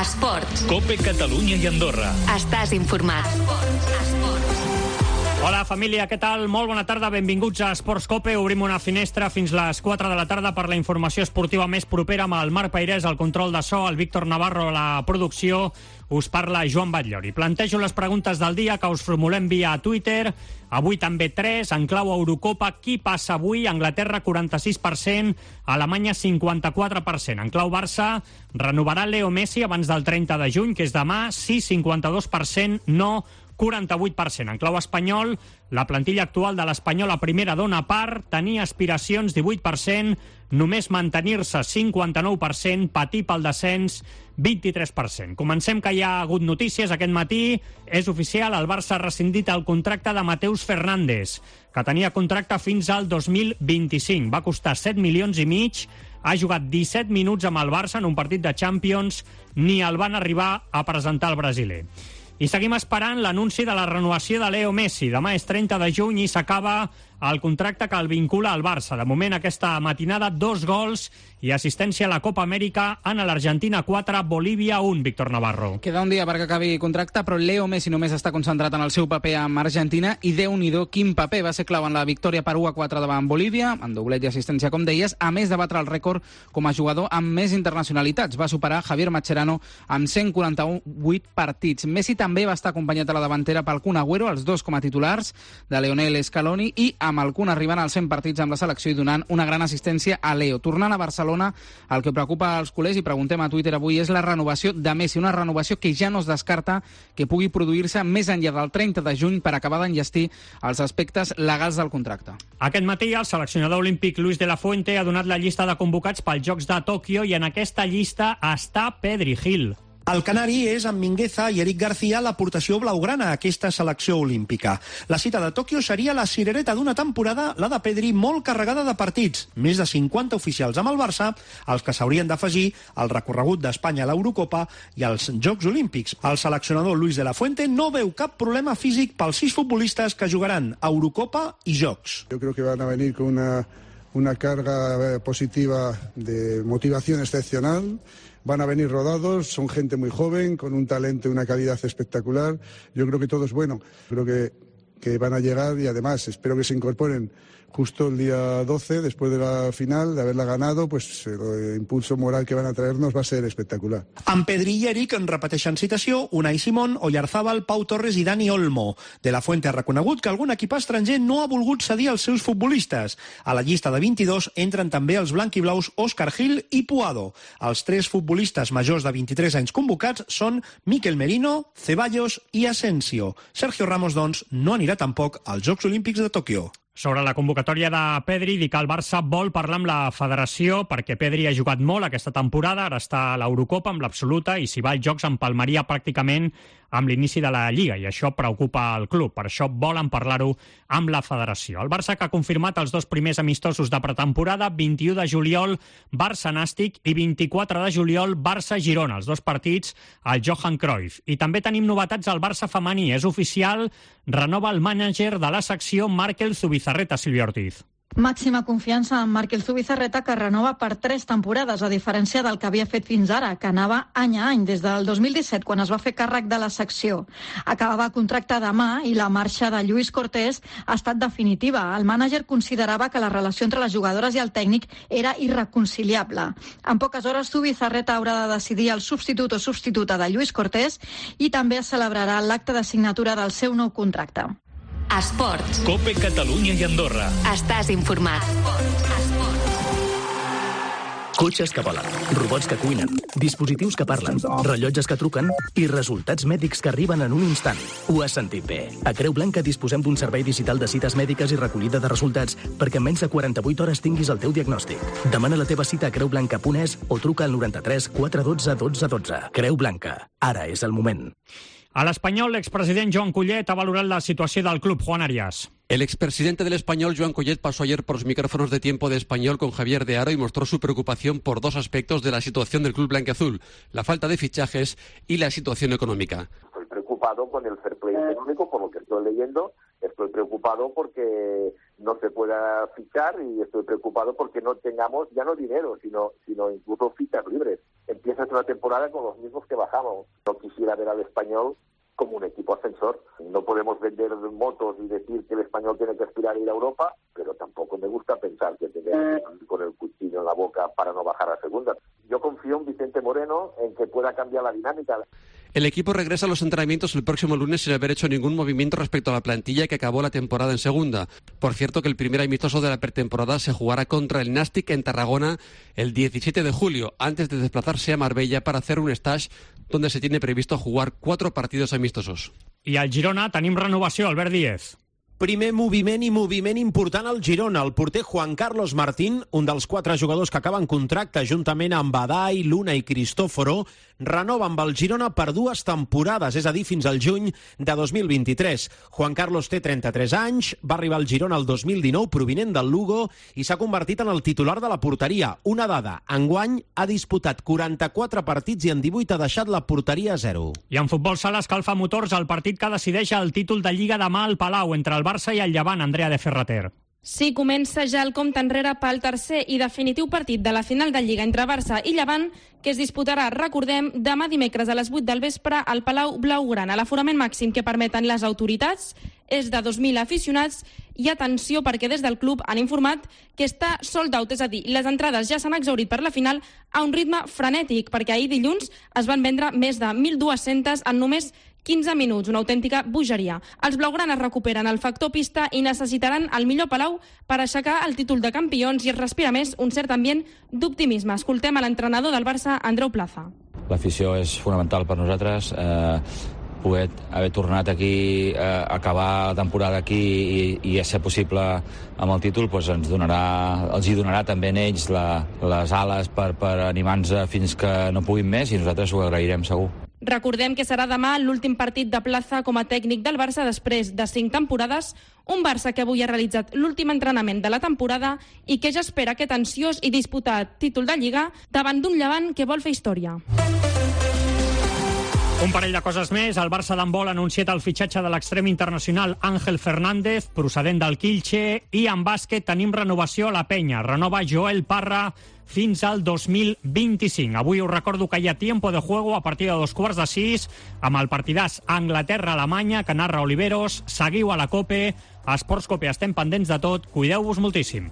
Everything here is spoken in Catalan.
Esports. COPE Catalunya i Andorra. Estàs informat. Hola, família, què tal? Molt bona tarda, benvinguts a Esports COPE. Obrim una finestra fins les 4 de la tarda per la informació esportiva més propera amb el Marc Peirés, al control de so, el Víctor Navarro, la producció. Us parla Joan Batllori. Plantejo les preguntes del dia que us formulem via Twitter. Avui també 3, en clau Eurocopa. Qui passa avui? Anglaterra, 46%, Alemanya, 54%. En clau Barça, renovarà Leo Messi abans del 30 de juny, que és demà. Sí, 52%, no, 48%. En clau espanyol, la plantilla actual de l'Espanyol a primera dona part, tenir aspiracions 18%, només mantenir-se 59%, patir pel descens 23%. Comencem, que hi ha hagut notícies aquest matí. És oficial, el Barça ha rescindit el contracte de Mateus Fernández, que tenia contracte fins al 2025. Va costar 7 milions i mig, ha jugat 17 minuts amb el Barça en un partit de Champions, ni el van arribar a presentar al brasiler. I seguim esperant l'anunci de la renovació de Leo Messi. Demà és 30 de juny i s'acaba el contracte que el vincula al Barça. De moment, aquesta matinada, 2 gols i assistència a la Copa Amèrica en l'Argentina 4, Bolívia 1, Víctor Navarro. Queda un dia perquè acabi contracte, però Leo Messi només està concentrat en el seu paper amb Argentina i Déu-n'hi-do quin paper. Va ser clau en la victòria per 1-4 davant Bolívia, en doblet i assistència, com deies, a més de batre el rècord com a jugador amb més internacionalitats. Va superar Javier Mascherano amb 148 partits. Messi també va estar acompanyat a la davantera pel Kun Agüero, els dos com a titulars de Lionel Scaloni, i amb el Kun arribant als 100 partits amb la selecció i donant una gran assistència a Leo. Tornant a Barcelona, el que preocupa als culers, i preguntem a Twitter avui, és la renovació de Messi, una renovació que ja no es descarta que pugui produir-se més enllà del 30 de juny per acabar d'enllestir els aspectes legals del contracte. Aquest matí el seleccionador olímpic Luis de la Fuente ha donat la llista de convocats pels Jocs de Tòquio i en aquesta llista està Pedri Gil. El canari és amb Mingueza i Eric García l'aportació blaugrana a aquesta selecció olímpica. La cita de Tòquio seria la cirereta d'una temporada, la de Pedri, molt carregada de partits. Més de 50 oficials amb el Barça, els que s'haurien d'afegir al recorregut d'Espanya a l'Eurocopa i als Jocs Olímpics. El seleccionador Luis de la Fuente no veu cap problema físic pels 6 futbolistes que jugaran a Eurocopa i Jocs. Yo creo que van a venir con una carga positiva de motivación excepcional. Van a venir rodados, son gente muy joven, con un talento y una calidad espectacular. Yo creo que todo es bueno. Creo que van a llegar y además espero que se incorporen justo el día 12, después de la final, de haberla ganado, pues el impulso moral que van a traernos va a ser espectacular. Amb Pedri i Eric en repeteixen citació Unai Simón, Oyarzabal, Pau Torres i Dani Olmo. De la Fuente ha reconegut que algun equip estranger no ha volgut cedir els seus futbolistes. A la llista de 22 entren també els blanquiblaus Óscar Gil i Puado. Els 3 futbolistes majors de 23 anys convocats són Mikel Merino, Ceballos i Asensio. Sergio Ramos, doncs, no anirà tampoc als Jocs Olímpics de Tòquio. Sobre la convocatòria de Pedri, dic que el Barça vol parlar amb la federació perquè Pedri ha jugat molt aquesta temporada, ara està a l'Eurocopa amb l'absoluta i si va als Jocs empalmaria pràcticament amb l'inici de la Lliga i això preocupa el club, per això volen parlar-ho amb la federació. El Barça, que ha confirmat els 2 primers amistosos de pretemporada, 21 de juliol Barça-Nàstic i 24 de juliol Barça-Girona, els 2 partits al Johan Cruyff. I també tenim novetats al Barça femení, és oficial, renova el mànager de la secció Markel Zubizarreta, Sílvia Ortiz. Màxima confiança en Markel Zubizarreta, que renova per 3 temporades, a diferència del que havia fet fins ara, que anava any a any, des del 2017, quan es va fer càrrec de la secció. Acabava contracte demà i la marxa de Lluís Cortés ha estat definitiva. El mànager considerava que la relació entre les jugadores i el tècnic era irreconciliable. En poques hores, Zubizarreta haurà de decidir el substitut o substituta de Lluís Cortés i també es celebrarà l'acte de signatura del seu nou contracte. Esports. COPE Catalunya i Andorra. Estàs informat. Cotxes que volen, robots que cuinen, dispositius que parlen, rellotges que truquen i resultats mèdics que arriben en un instant. Ho has sentit bé. A Creu Blanca disposem d'un servei digital de cites mèdiques i recollida de resultats perquè en menys de 48 hores tinguis el teu diagnòstic. Demana la teva cita a creublanca.es o truca al 93 412 12 12. Creu Blanca. Ara és el moment. A l'Espanyol, l'expresident Joan Collet ha valorat la situació del club. Juan Arias. El expresidente del Español, Joan Collet, pasó ayer por los micrófonos de Tiempo de Español con Javier de Haro y mostró su preocupación por 2 aspectos de la situación del club blanquiazul: la falta de fichajes y la situación económica. Estoy preocupado con el fair play económico, por lo que estoy leyendo. Estoy preocupado porque no se pueda fichar y estoy preocupado porque no tengamos ya no dinero, sino incluso fichas libres. empiezas una temporada con los mismos que bajamos. No quisiera ver al Español como un equipo ascensor. No podemos vender motos y decir que el Español tiene que aspirar a ir a Europa, pero tampoco me gusta pensar que tenemos que ir con el cuchillo en la boca para no bajar a segunda. Yo confío en Vicente Moreno en que pueda cambiar la dinámica. El equipo regresa a los entrenamientos el próximo lunes sin haber hecho ningún movimiento respecto a la plantilla que acabó la temporada en segunda. Por cierto, que el primer amistoso de la pretemporada se jugará contra el Nàstic en Tarragona el 17 de julio, antes de desplazarse a Marbella para hacer un stage donde se tiene previsto jugar 4 partidos amistosos. I al Girona tenim renovació, Albert Díez. Primer moviment important al Girona. El porter Juan Carlos Martín, un dels 4 jugadors que acaben contracte juntament amb Badai, Luna i Cristòforo, renova amb el Girona per 2 temporades, és a dir, fins al juny de 2023. Juan Carlos té 33 anys, va arribar al Girona el 2019 provinent del Lugo i s'ha convertit en el titular de la porteria. Una dada, enguany ha disputat 44 partits i en 18 ha deixat la porteria a 0. I en futbol sala escalfa motors el partit que decideix el títol de Lliga demà al Palau entre el Barça i el Llevant, Andrea de Ferrater. Sí, comença ja el compte enrere pel tercer i definitiu partit de la final de Lliga entre Barça i Llevant, que es disputarà, recordem, demà dimecres a les 8 del vespre al Palau Blaugrana. L'aforament màxim que permeten les autoritats és de 2.000 aficionats i atenció perquè des del club han informat que està sold out, és a dir, les entrades ja s'han exhaurit per la final a un ritme frenètic, perquè ahir dilluns es van vendre més de 1.200 en només 15 minuts, una autèntica bogeria. Els blaugranes recuperen el factor pista i necessitaran el millor Palau per aixecar el títol de campions i es respira més un cert ambient d'optimisme. Escoltem a l'entrenador del Barça, Andreu Plaza. L'afició és fonamental per nosaltres. Poder haver tornat aquí, acabar la temporada aquí i ser possible amb el títol, doncs els hi donarà també a ells les ales per animar-nos fins que no puguin més i nosaltres ho agrairem segur. Recordem que serà demà l'últim partit de Plaza com a tècnic del Barça després de 5 temporades, un Barça que avui ha realitzat l'últim entrenament de la temporada i que ja espera aquest ansiós i disputat títol de Lliga davant d'un Llevant que vol fer història. Un parell de coses més. El Barça d'handbol ha anunciat el fitxatge de l'extrem internacional Ángel Fernández, procedent del Kielce, i en bàsquet tenim renovació a la Penya. Renova Joel Parra fins al 2025. Avui us recordo que hi ha tiempo de juego a partir de 5:15 amb el partidàs Anglaterra-Alemanya que narra Oliveros. Seguiu a la COPE. A Esports COPE estem pendents de tot. Cuideu-vos moltíssim.